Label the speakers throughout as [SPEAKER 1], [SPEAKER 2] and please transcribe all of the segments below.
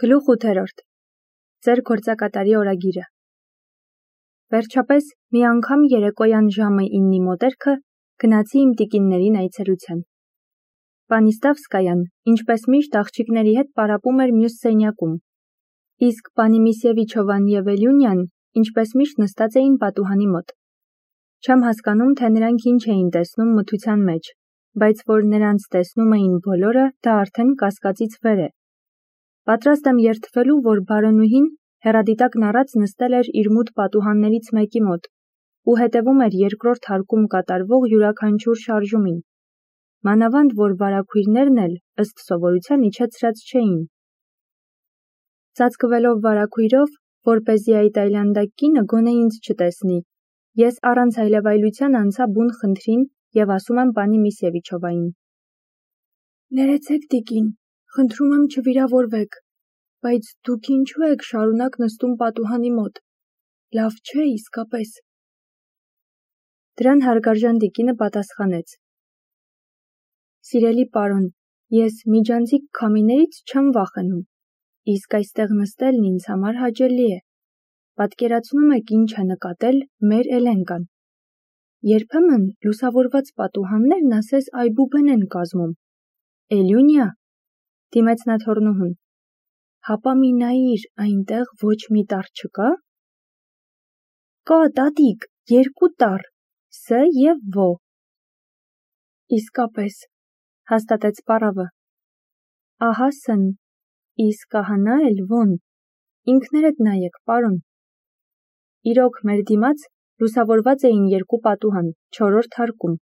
[SPEAKER 1] Գլուխ 8. Ձեր գործակատարի օրագիրը։ Վերջապես, մի անգամ երեկոյան ժամը 9-ի մոտերքը գնացի իմ տիկիններին այցելության։ Պանիստավսկայան, ինչպես միշտ, աղջիկների հետ պարապում էր մյուս սենյակում, իսկ պանի Միսևիչովան և Էլյունյան, ինչպես միշտ, նստած էին պատուհանի մոտ։ Չեմ հասկանում, թե նրանք ինչ էին տեսնում մթության մեջ, բայց որ նրանց տեսնում էին բոլորը, դա արդեն կասկածից վեր է։ Պատրաստ եմ երդվելու, որ բարոնուհին հեռադիտակն առած նստել էր իր մութ պատուհաններից մեկի մոտ ու հետևում էր երկրորդ հարկում կատարվող յուրաքանչյուր շարժումին, մանավանդ որ վարագույրներն էլ, ըստ սովորության, իջեցրած չէին։ Ծածկվելով վարագույրով, որպեսզի այդ այլանդակ կինը գոնե ինձ չտեսնի, ես առանց այլևայլության անցա բուն խնդրին և ասում եմ պանի Միսևիչովային. «Ներեցեք, տիկին, խնդրում եմ չվիրավորվեք, բայց դուք ինչու եք շարունակ նստում պատուհանի մոտ, լավ չէ իսկապես»։ Դրան հարգարժան տիկինը պատասխանեց. «Սիրելի պարոն, ես միջանցիկ քամիներից չեմ վախենում, իսկ այստեղ նստելն ինձ համար հաճելի է։ Պատկերացնում եք ինչ է նկատել մեր Էլենկան։ Երբեմն լուսավորված պատուհաններն ասես այբուբեն են կազմում։ Էլյունիա, դիմեց նա թոռնուհուն, հապա մի նայիր, այնտեղ ոչ մի տառ չկա։ Կա, տատիկ, 2 տառ, Ս և Վ։ Իսկապես, հաստատեց պարավը, ահա Ս-ն, իսկ ահա նա էլ Վ-ն, ինքներդ նայեք, պարոն։ Իրոք, մեր դիմաց լուսավորված էին 2 պատուհան 4-րդ հարկում,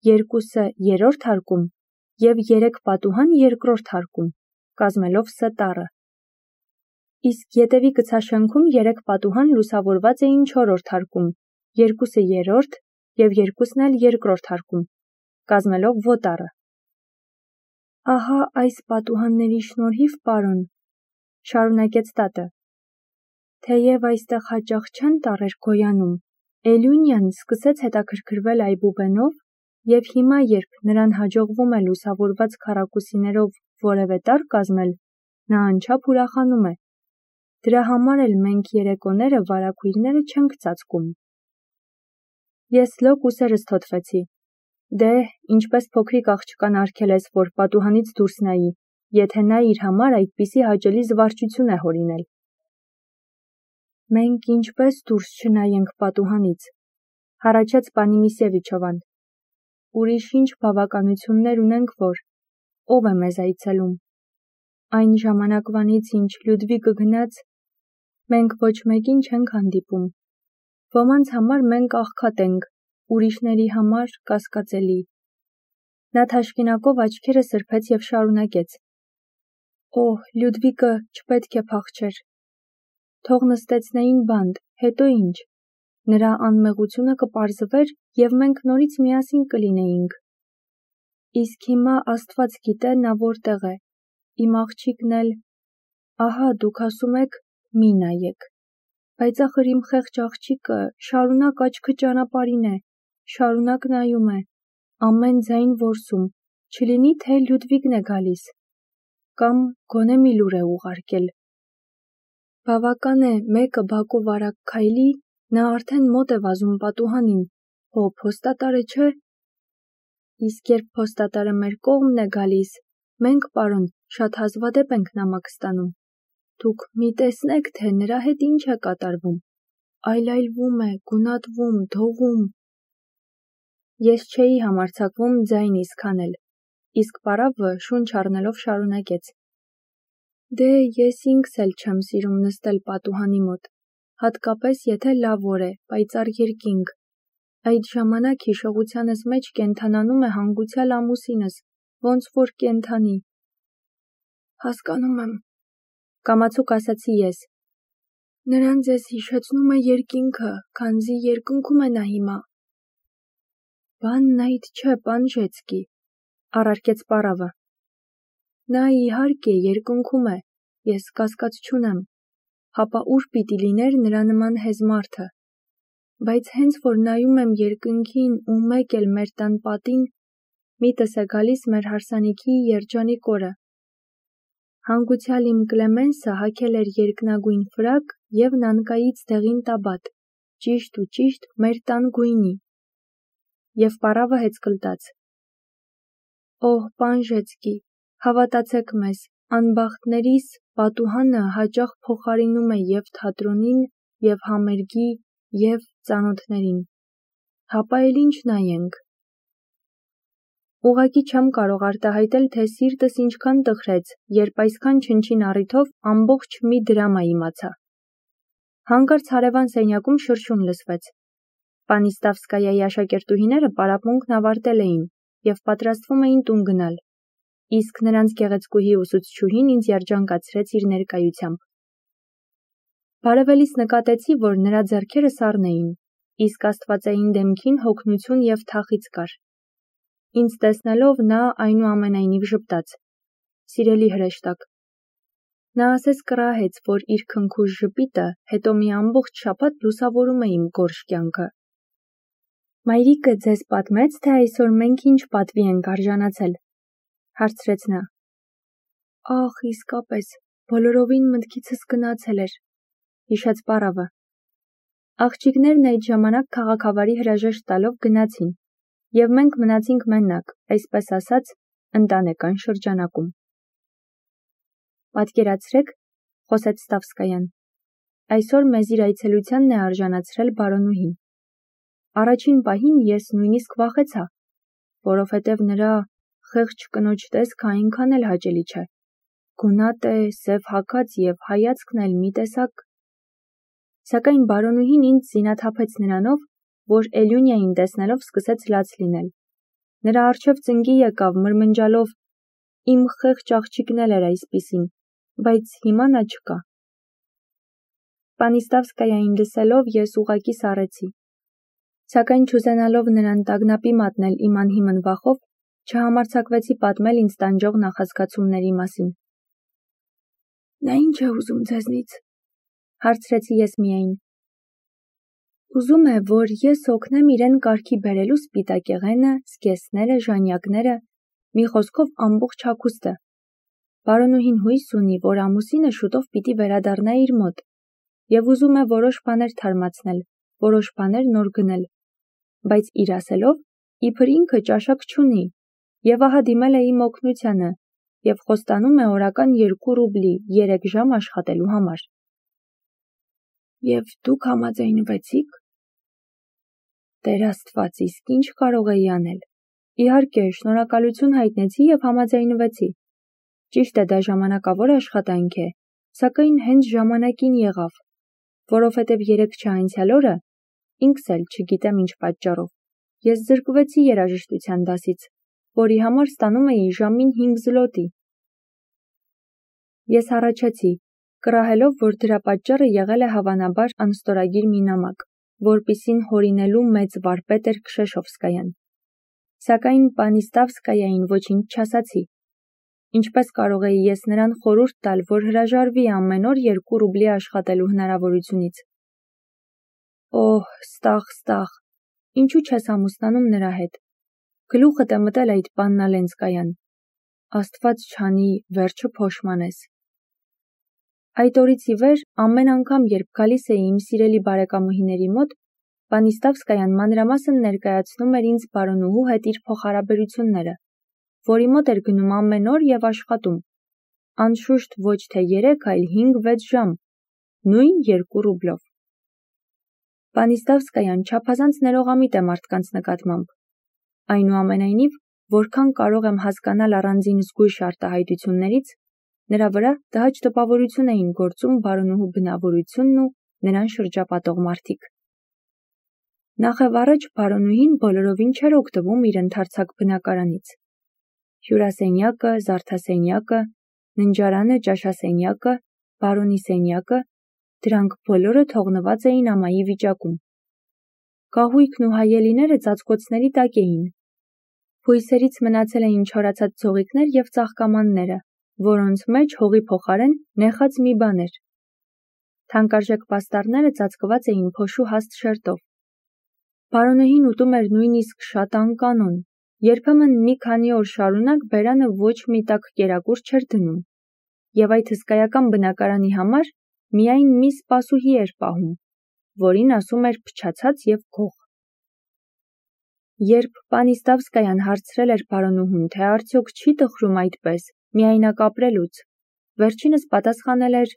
[SPEAKER 1] 2 3-րդ հարկում և 3 պատուհան 2-րդ հարկում, կազմելով Ս տառը։ Իսկ ետևի կցաշենքում 3 պատուհան լուսավորված էին 4-րդ հարկում, 2-ը 3-րդ և 2-ն էլ 2-րդ հարկում, կազմելով Վ տառը։ Ահա այս պատուհանների շնորհիվ, պարոն, շարունակեց տատը, թեև այստեղ հաճախ չեն տառեր գոյանում, Էլյունյան սկսեց հետաքրքրվել այբուբենով և հիմա, երբ նրան հաջողվում է լուսավորված քառակուսիներով որևէ տառ կազմել, նա անչափ ուրախանում է։ Դրա համար էլ մենք երեկոները վարագույրները չենք ծածկում։ Ես լոկ ուսերս թոթվեցի։ Դե, ինչպես փոքրիկ աղջկան արգելես, որ պատուհանից դուրս նայի, եթե նա իր համար այդպիսի հաճելի զվարճություն է հորինել։ Մենք ինչպես դուրս չնայենք պատուհանից, հառաչեց պանի Միսևիչովան։ Ուրիշ ինչ բավականություններ ունենք, որ ով է մեզ այցելում։ Այն ժամանակվանից, ինչ Լյուդվիգը գնաց, մենք ոչ մեկին չենք հանդիպում։ Ոմանց համար մենք աղքատ ենք, ուրիշների համար կասկածելի։ Նա թաշկինակով աչքերը սրբեց և շարունակեց. Օհ, Լյուդվիգը չպետք է փախչեր։ Թող նստեցնեին բանտ, հետո ինչ։ Նրա անմեղությունը կպարզվեր և մենք նորից միասին կլինեինք։ Իսկ հիմա Աստված գիտե նա որտեղ է, իմ աղջիկն էլ, ահա դուք ասում եք մի նայեք, բայց ախր իմ խեղճ աղջիկը շարունակ աչքը ճանապարհին է, շարունակ նայում է, ամեն ձայն որսում, չլինի թե Լյուդվիգն է գալիս, կամ գոնե մի լուր է ուղարկել։ Բավական է մեկը բակով արագ քայլի, նա արդեն մոտ է վազում պատուհանին, հո փոստատարը չէ։ Իսկ երբ փոստատարը մեր կողմն է գալիս, մենք, պարոն, շատ հազվադեպ ենք նամակ ստանում։ Դուք մի տեսնեք, թե նրա հետ ինչ է կատարվում, այլայլվում է, գունատվում, դողում։ Ես չէի համարձակվում ձայնիս քանել, իսկ պարավը շունչ առնելով շարունակեց. Դե, ես ինքս էլ չեմ սիրում նստել պատուհանի մոտ, հատկապես եթե լավ օր է, պայծառ երկինք։ Այդ ժամանակ հիշողությանս մեջ կենդանանում է հանգուցյալ ամուսինս, ոնց որ կենդանի։ Հասկանում եմ, կամացուկ ասացի ես։ Նրան ձեզ հիշեցնում է երկինքը, քանզի երկնքում է նա հիմա։ Բանն այդ չէ, պան Ժեցկի, առարկեց պարավը։ Նա իհարկե երկնքում է, ես կասկած չունեմ, հապա ուր պիտի լիներ նրա նման հեզ մարդը։ Բայց հենց որ նայում եմ երկնքին ու մեկ էլ մեր տան պատին, միտս է գալիս մեր հարսանիքի երջանիկ օրը։ Հանգուցյալ իմ Կլեմենսը հագել էր երկնագույն ֆրակ և նանկայից դեղին տաբատ, ճիշտ ու ճիշտ մեր տան գույնի, և պառավը հեծկլտաց. «Օհ, Պանժեցկի, հավատացեք մեզ, անբախտներիս պատուհանը հաճախ փոխարինում է և թատրոնին, և համերգի, և ծանոթներին, հապա էլ ինչ նայենք»։ Ուղղակի չեմ կարող արտահայտել, թե սիրտս ինչքան տխրեց, երբ այսքան չնչին առիթով ամբողջ մի դրամա իմացա։ Հանկարծ հարևան սենյակում շրշում լսվեց։ Պանիստավսկայայի աշակերտուհիները պարապմունքն ավարտել էին և պատրաստվում էին տուն գնալ, իսկ նրանց գեղեցկուհի ուսուցչուհին ինձ երջանկացրեց իր ներկայությամբ։ Բարևելիս նկատեցի, որ նրա ձեռքերը սառն էին, իսկ աստվածային դեմքին հոգնություն և թախիծ կար։ Ինձ տեսնելով նա այնուամենայնիվ ժպտաց. «Սիրելի հրեշտակ»։ Նա ասես կռահեց, որ իր քնքուշ ժպիտը հետո մի ամբողջ շաբաթ լուսավորում է իմ գորշ կյանքը։ «Մայրիկը ձեզ պատմեց, թե այսօր մենք ինչ պատվի ենք արժանացել», հարցրեց նա։ «Ախ, իսկապես, բոլորովին մտքիցս գնացել էր», հիշեց պառավը։ Աղջիկներն այդ ժամանակ քաղաքավարի հրաժեշտ տալով գնացին, և մենք մնացինք մենակ, այսպես ասած, ընտանեկան շրջանակում։ «Պատկերացրեք», խոսեց Ստավսկայան, «այսօր մեզ իր այցելությանն է արժանացրել բարոնուհին։ Առաջին պահին ես նույնիսկ վախեցա, որովհետև նրա խեղճ կնոջ տեսքը այնքան էլ հաճելի չէ։ Գունատ է, սև հագած և հայացքն էլ մի տեսակ։ Սակայն բարոնուհին ինձ զինաթափեց նրանով, որ Էլյունիային տեսնելով սկսեց լաց լինել։ Նրա առջև ծնկի եկավ, մրմնջալով. «Իմ խեղճ աղջիկն էլ էր այսպիսին, բայց հիմա նա չկա»։ Պանիստավսկայային լսելով ես ուղղակի սառեցի։ Սակայն չուզենալով նրան տագնապի մատնել իմ անհիմն վախով, չհամարձակվեցի պատմել ինձ տանջող նախազգացումների մասին։ «Նա ինչ է ուզում ձեզնից», հարցրեցի ես միայն։ «Ուզում է, որ ես օգնեմ իրեն կարգի բերելու սպիտակեղենը, զգեստները, ժանյակները, մի խոսքով ամբողջ հագուստը։ Բարոնուհին հույս ունի, որ ամուսինը շուտով պիտի վերադառնա իր մոտ, և ուզում է որոշ բաներ թարմացնել, որոշ բաներ նոր գնել, բայց իր ասելով, իբր ինքը ճաշակ չունի, և ահա դիմել է իմ օգնությանը և խոստանում է օրական 2 ռուբլի 3 ժամ աշխատելու համար»։ «Եվ դուք համաձայնվեցիք»։ Տեր Աստված, իսկ ինչ կարող էի անել։ Իհարկե, շնորհակալություն հայտնեցի և համաձայնվեցի։ Ճիշտ է, դա ժամանակավոր աշխատանք է, սակայն հենց ժամանակին եղավ, որովհետև երեքչա անցյալ օրը, ինքս էլ չգիտեմ ինչ պատճառով, ես զրկվեցի երաժշտության դասից, որի համար ստանում էի ժամին 5 զլոտի։ Ես հառաչեցի, կռահելով, որ դրա պատճառը եղել է հավանաբար անստորագիր մի նամակ, որպիսին հորինելու մեծ վարպետ էր Քշեշովսկայան։ Սակայն Պանիստավսկայային ոչինչ չասացի։ Ինչպես կարող էի ես նրան խորհուրդ տալ, որ հրաժարվի ամեն օր 2 ռուբլի աշխատելու հնարավորությունից։ Օհ, Ստախ, ինչու չես ամուսնանում նրա հետ։ Գլուխդ է մտել այդ Պաննալենսկայան։ Աստված չանի, վերջը փոշմանես։ Այդ օրից ի վեր ամեն անգամ, երբ գալիս էի իմ սիրելի բարեկամուհիների մոտ, Պանիստավսկայան մանրամասն ներկայացնում էր ինձ բարոնուհու հետ իր փոխհարաբերությունները, որի մոտ էր գնում ամեն օր և աշխատում, անշուշտ ոչ թե 3, այլ 5-6 ժամ, նույն 2 ռուբլով։ Պանիստավսկայան չափազանց ներողամիտ է մարդկանց նկատմամբ։ Այնուամենայնիվ, որքան կարող եմ հասկանալ առանձին զգույշ արտահայտություններից, նրա վրա տհաճ տպավորություն էին գործում բարոնուհու բնավորությունն ու նրան շրջապատող մարդիկ։ Նախևառաջ բարոնուհին բոլորովին չէր օգտվում իր ընդարձակ բնակարանից։ Հյուրասենյակը, զարդասենյակը, ննջարանը, ճաշասենյակը, բարոնի սենյակը, դրանք բոլորը թողնված էին ամայի վիճակում։ Կահույքն ու հայելիները ծածկոցների տակ էին։ Հույսերից մնացել էին չորացած ձողիկներ և ծաղկամանները, որոնց մեջ հողի փոխարեն նեխած մի բան էր։ Թանկարժեք պաստառները ծածկված էին փոշու հաստ շերտով։ Բարոնուհին ուտում էր նույնիսկ շատ անկանոն, երբեմն մի քանի օր շարունակ բերանը ոչ մի տաք կերակուր չէր դնում։ և այդ հսկայական բնակարանի համար միայն մի սպասուհի էր պահում, որին ասում էր փչացած և գող։ Երբ Պանիստավսկայան հարցրել էր պարոնուհուն, թե արդյոք չի տխրում այդպես, միայնակ ապրելուց, վերջինս պատասխանել էր.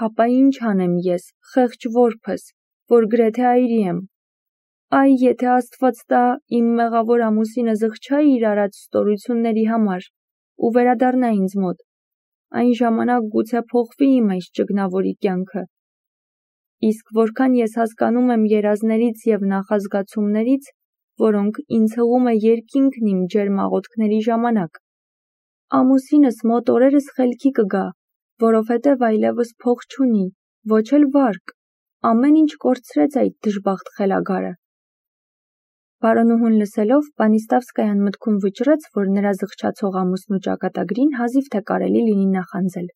[SPEAKER 1] «Հապա ինչ անեմ ես, խեղճ որբս, որ գրեթե այրի եմ։ Այ եթե Աստված տա, իմ մեղավոր ամուսինը զղջա իր արած ստորությունների համար ու վերադառնա ինձ մոտ, այն ժամանակ գուցե փոխվի իմ այս ճգնավորի կյանքը։ Իսկ որքան ես հասկանում եմ երազներից և նախազգացումներից, որոնք ինձ հղում է երկինքն իմ ջերմ աղոթքների ժամանակ, ամուսինս մոտ օրերս խելքի կգա, որովհետև այլևս փող չունի, ոչ էլ վարկ, ամեն ինչ կորցրեց այդ դժբախտ խելագարը»։ Պարոնուհուն լսելով, Պանիստավսկայան մտքում վճռեց, որ նրա զղջացող ամուսնու ճակատագրին հազիվ թե կարելի լինի նախանձել։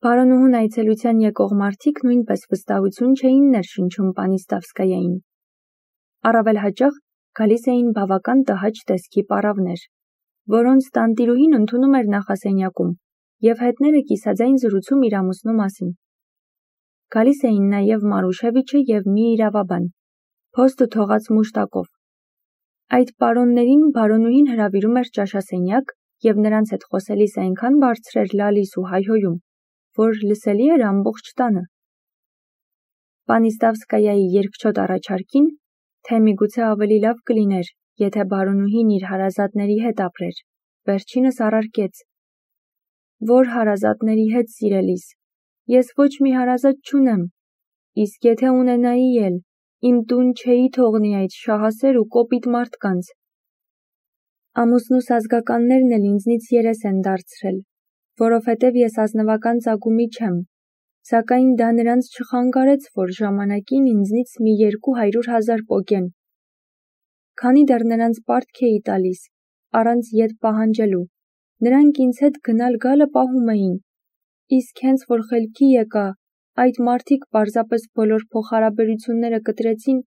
[SPEAKER 1] Պարոնուհուն այցելության եկող մարդիկ նույնպես վստահություն չէին ներշնչում Պանիստավսկայային։ Առավել հաճախ գալիս էին բավական տհաճ տեսքի պառավներ, որոնց տանտիրուհին ընդունում էր նախասենյակում և հետները կիսաձայն զրուցում իր ամուսնու մասին։ Գալիս էին նաև Մարուշևիչը և մի իրավաբան, փոստը թողած մուշտակով։ Այդ պարոններին բարոնուհին հրավիրում էր ճաշասենյակ և նրանց հետ խոսելիս այնքան բարձր էր լալիս ու հայհոյում, որ լսելի էր ամբողջ տանը։ Պանիստավսկայայի երկչոտ առաջարկին, թե միգուցե ավելի լավ կլիներ, եթե բարոնուհին իր հարազատների հետ ապրեր, վերջինս առարկեց. «Որ հարազատների հետ, սիրելիս, ես ոչ մի հարազատ չունեմ, իսկ եթե ունենայի էլ, իմ տուն չէի թողնի այդ շահասեր ու կոպիտ մարդկանց։ Ամուսնուս ազգականներն էլ ինձնից երես են դարձրել, որովհետև ես ազնվական ծագումի չեմ, սակայն դա նրանց չխանգարեց, որ ժամանակին ինձնից մի 200,000 պոկեն։ Քանի դեռ նրանց պարտք էի տալիս, առանց ետ պահանջելու, նրանք ինձ հետ գնալ-գալը պահում էին, իսկ հենց որ խելքի եկա, այդ մարդիկ պարզապես բոլոր փոխհարաբերությունները կտրեցին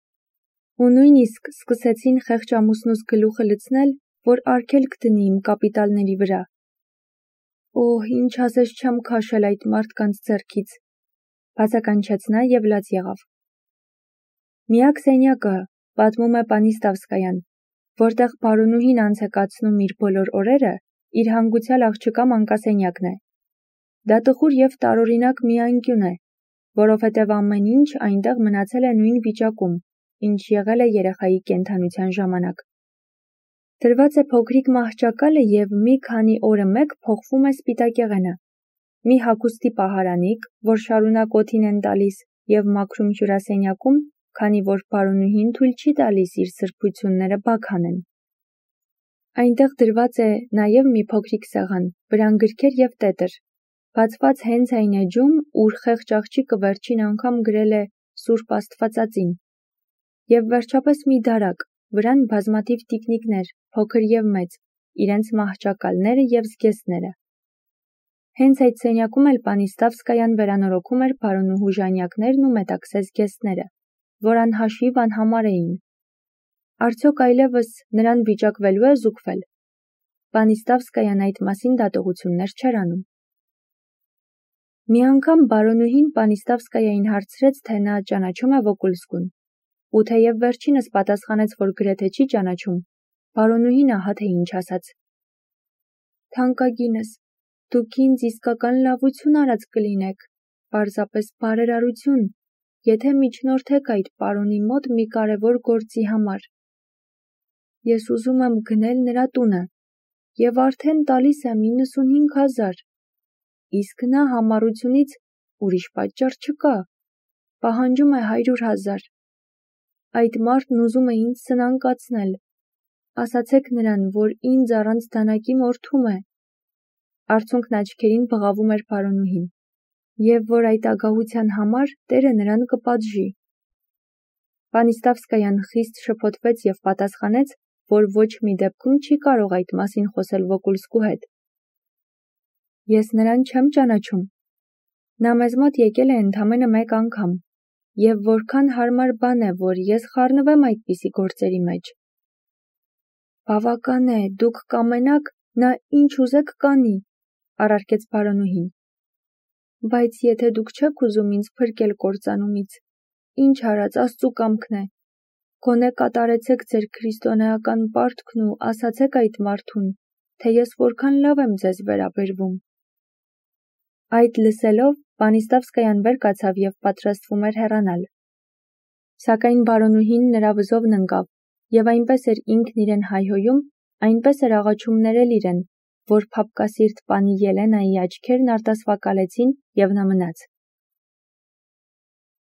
[SPEAKER 1] ու նույնիսկ սկսեցին խեղճ ամուսնուս գլուխը լցնել, որ արգելք դնի իմ կապիտալների վրա։ Օհ, ինչ ասես չեմ քաշել այդ մարդկանց ձեռքից», բացականչեց նա և լաց եղավ։ Միակ սենյակը, պատմում է Պանիստավսկայան, որտեղ բարոնուհին անց է կացնում իր բոլոր օրերը, իր հանգուցյալ աղջկա մանկասենյակն է։ Դա տխուր և տարօրինակ մի անկյուն է, որովհետև ամեն ինչ այնտեղ մնացել է նույն վիճակում, ինչ եղել է երեխայի կենդանության ժամանակ։ Դրված է փոքրիկ մահճակալը և մի քանի օրը մեկ փոխվում է սպիտակեղենը։ Մի հագուստի պահարանիկ, որ շարունակ օդին են տալիս և մաքրում հյուրասենյակում, քանի որ բարոնուհին թույլ չի տալիս իր սրբությունները բաք անեն։ Այնտեղ դրված է նաև մի փոքրիկ սեղան, վրան գրքեր և տետր, բացված հենց այն էջում, ուր խեղճ աղջիկը վերջին անգամ գրել է Սուրբ Աստվածածին, և վերջապես մի դարակ, վրան բազմաթիվ տիկնիկներ, փոքր և մեծ, իրենց մահճակալները և զգեստները։ Հենց այդ սենյակում էլ Պանիստավսկայան վերանորոգում էր բարոնուհու ժանյակներն ու մետաքսե զգեստները, որ անհաշիվ անհամար էին։ Արդյոք այլևս նրան վիճակվելու է զուգվել։ Պանիստավսկայան այդ մասին դատողություններ չէր անում։ Մի անգամ բարոնուհին Պանիստավսկայային հարցրեց, թե նա ճանաչում է Վոկուլսկուն, ու թեև վերջինս պատասխանեց, որ գրեթե չի ճանաչում, բարոնուհին ահա թե ինչ ասաց. «Թանկագինս, դուք ինձ իսկական լավություն արած կլինեք, պարզապես բարերարություն, եթե միջնորդեք այդ պարոնի մոտ մի կարևոր գործի համար։ Ես ուզում եմ գնել նրա տունը և արդեն տալիս եմ 95,000, իսկ նա համառությունից, ուրիշ պատճառ չկա, պահանջում է 100,000։ Այդ մարդն ուզում է ինձ սնանկացնել, ասացեք նրան, որ ինձ առանց դանակի մորթում է», արցունքն աչքերին բղավում էր բարոնուհին, «և որ այդ ագահության համար Տերը նրան կպատժի»։ Պանիստավսկայան խիստ շփոթվեց և պատասխանեց, որ ոչ մի դեպքում չի կարող այդ մասին խոսել Վոկուլսկու հետ։ «Ես նրան չեմ ճանաչում։ Նա մեզ մոտ եկել է ընդամենը մեկ անգամ, և որքան հարմար բան է, որ ես խառնվեմ այդպիսի գործերի մեջ։ Բավական է, դուք կամենաք, նա ինչ ուզեք կանի, առարկեց բարոնուհին։ Բայց եթե դուք չեք ուզում ինձ փրկել կործանումից, ինչ արած Աստծու կամքն է։ Գոնե կատարեցեք ձեր քրիստոնեական պարտքն ու ասացեք այդ մարդուն, թե ես որքան լավ եմ ձեզ վերաբերվում։ Այդ լսելով, Վանիստավսկայան վեր կացավ և պատրաստվում էր հեռանալ։ Սակայն բարոնուհին նրա վզովն ընկավ, և այնպես էր ինքն իրեն հայհոյում, այնպես էր աղաչում ներել իրեն, որ փափկասիրտ պանի Ելենայի աչքերն արտասվակալեցին, և նա մնաց։